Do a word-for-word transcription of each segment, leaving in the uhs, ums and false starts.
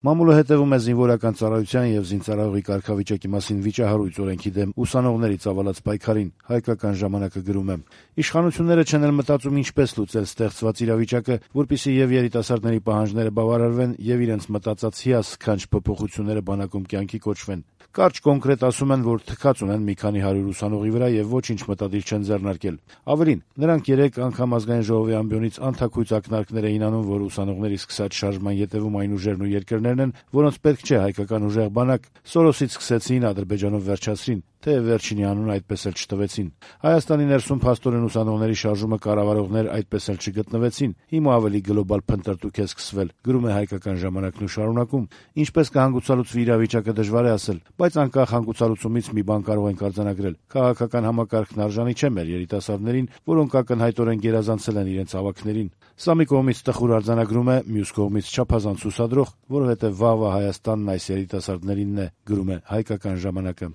Մամուլը հետևում է զինվորական ծառայության եւ զինծառայողի կարգավիճակի մասին վիճահարույց օրենքի դեմ ուսանողների ծավալած պայքարին, հայկական ժամանակը գրում է. Իշխանությունները չեն էլ մտածում ինչպես լուծել ստեղծված իրավիճակը, որպեսզի եւ երիտասարդների պահանջները բավարարվեն եւ իրենց մտածած հիասքանչ փոփոխությունները բանակում կյանքի կոչվեն։ Կարճ կոնկրետ ասում են, որ թքած ունեն մի քանի հարյուր ուսանողի վրա եւ ոչինչ մտադիր չեն ձեռնարկել։ Ավելին, նրանք երեք անգամ ազգային ժողովի ամբիոնից անթաքույց ակնարկներ էին անում, որ ուսանողների սկսած շարժման ետևում այն ուժերն ու երկրներն են, որոնց պետք չէ հայկական ուժեղ բանակ, Սորոսից սկսեցին, Ադրբեջանով վերջացրին, թեև վերջինի անունը այդպես էլ չտվեցին։ Հայաստանի ներսում փաստորեն ուսանողների շարժումը կառավարողներ այդպես էլ չգտնվեցին։ Հիմա ավելի գլոբալ փնտրտուք է սկսվել, գրում է հայկական ժամանակն ու շարունակում. Ինչպես կհանգուցալուծվի իրավիճակը դժվար է ասել, բայց անկախ հանգուցալուծումից մի բան կարող ենք արձանագրել. քաղաքական համակարգն արժանի չէ մեր երիտասարդներին, որոնք ակնհայտորեն գերազանցել են իրենց ավագներին։ Սա մի կողմից տխուր արձանագրում է, մյուս կողմից չափազանց հուսադրող, որովհետև վաղվա Հայաստանն այս երիտասարդներինն է, գրում է հայկական ժամանակը։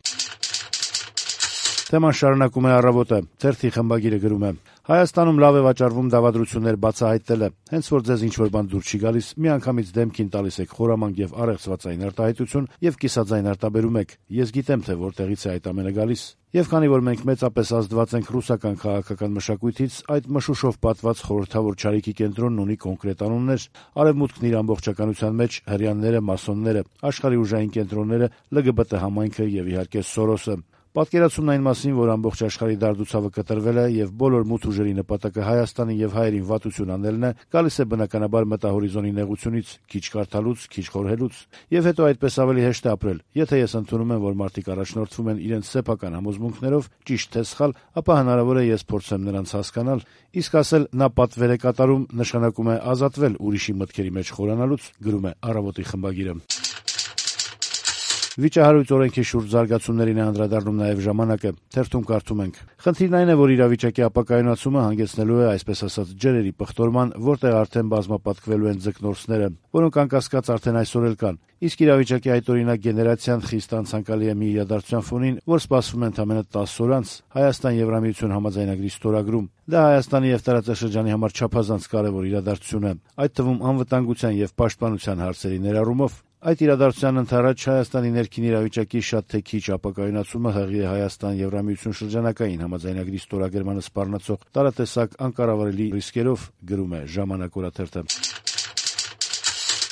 Թեման շարունակում է «Առավոտը», թերթի խմբագիրը գրում է. Հայաստանում լավ է վաճառվում դավադրություններ բացահայտելը, հենց որ ձեզ ինչ-որ բան դուր չի գալիս, միանգամից դեմքին տալիս եք խորամանկ եւ առեղծվածային արտահայտություն եւ կիսաձայն արտաբերում եք։ Ես գիտեմ, թե որտեղից է այդ ամենը գալիս։ Եվ քանի որ մենք մեծապես ազդված ենք ռուսական քաղաքական մշակույթից, այդ մշուշով պատված խորհրդավոր չարիքի կենտրոնն ունի կոնկրետ անուններ. Արևմուտքն իր ամբողջականության մեջ, հրեաները, մասոնները, աշխարհի ուժային կենտրոնները, L G B T համայնքը եւ իհարկե Սորոսը։ Պատկերացումն այն մասին, որ ամբողջ աշխարհի դարդուցավը կտրվել է եւ բոլոր մութ ուժերի նպատակը Հայաստանի եւ հայերին վատություն անելն է, գալիս է բնականաբար մտահորիզոնի նեղությունից, քիչ կարդալուց, քիչ խորհելուց, եւ հետո այդպես ավելի հեշտ է ապրել։ Եթե ես ընդունում եմ, որ մարդիկ առաջնորդվում են իրենց սեփական համոզմունքներով, ճիշտ թե սխալ, ապա հնարավոր է ես փորձեմ նրանց հասկանալ, իսկ ասել նա պատվեր է կատարում նշանակում է ազատվել ուրիշի մտքերի մեջ խորանալուց, գրում է «Առավոտի» խմբագիրը։ Վիճահարույց օրենքի շուրջ զարգացումներին է անդրադառնում նաև «Ժամանակը», թերթում կարդում ենք. Խնդիրն այն է, որ իրավիճակի ապակայունացումը հանգեցնելու է, այսպես ասած, ջրերի պղտորման, որտեղ արդեն բազմապատկվելու են ձկնորսները, որոնք անկասկած արդեն այսօր էլ կան։ Իսկ իրավիճակի այդօրինակ գեներացիան խիստ անցանկալի է մի իրադարձության ֆոնին, որ սպասվում է ընդամենը տասը օր անց Հայաստան-Եվրամիություն համաձայնագրի ստորագրում։ Դա Հայաստանի եւ տարածաշրջանի համար չափազանց կարևոր իրադարձություն է, այդ թվում անվտանգության եւ պաշտպանության հարցերի ներառումով։ Այդ իրադարձության ընդառաջ Հայաստանի ներքին իրավիճակի շատ թե քիչ ապակայունացումը հղի է Հայաստան-Եվրամիություն շրջանակային համաձայնագրի ստորագրմանը սպառնացող տարատեսակ անկառավարելի ռիսկերով, գրում է «Ժամանակ» օրաթերթը։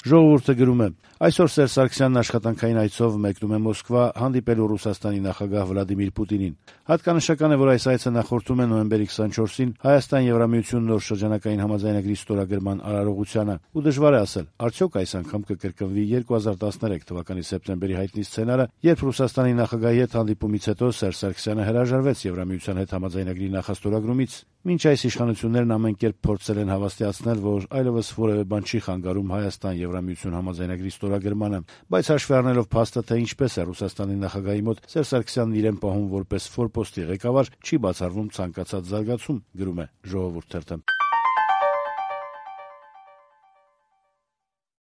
Ժողովուրդը գրում է. այսօր Սերժ Սարգսյանն աշխատանքային այցով մեկնում է Մոսկվա հանդիպելու Ռուսաստանի նախագահ Վլադիմիր Պուտինին։ Հատկանշական է, որ այս այցը նախորդում է նոյեմբերի քսանչորսին Հայաստան-Եվրամիություն նոր շրջանակային համաձայնագրի ստորագրման արարողությանը։ Ու դժվար է ասել, արդյոք այս անգամ կկրկնվի երկու հազար տասներեք թվականի սեպտեմբերի հայտնի սցենարը, երբ Ռուսաստանի նախագահի հետ հանդիպումից հետո Սերժ Սարգսյանը հրաժարվեց Եվրամիության հետ համաձայնագրի նախաստորագրումից։ Մինչ այս իշխանություններն ամեն կերպ փորձել են հավաստիացնել, որ այլևս որևէ բան չի խանգարում Հայաստան-Եվրամիություն համաձայնագրի ստորագրմանը, բայց հաշվի առնելով փաստը, թե ինչպես է Ռուսաստանի նախագահի մոտ Սերժ Սարգսյանն իրեն պահում որպես ֆորպոստի ղեկավար, չի բացառվում ցանկացած զարգացում, գրում է «Ժողովուրդ» թերթը։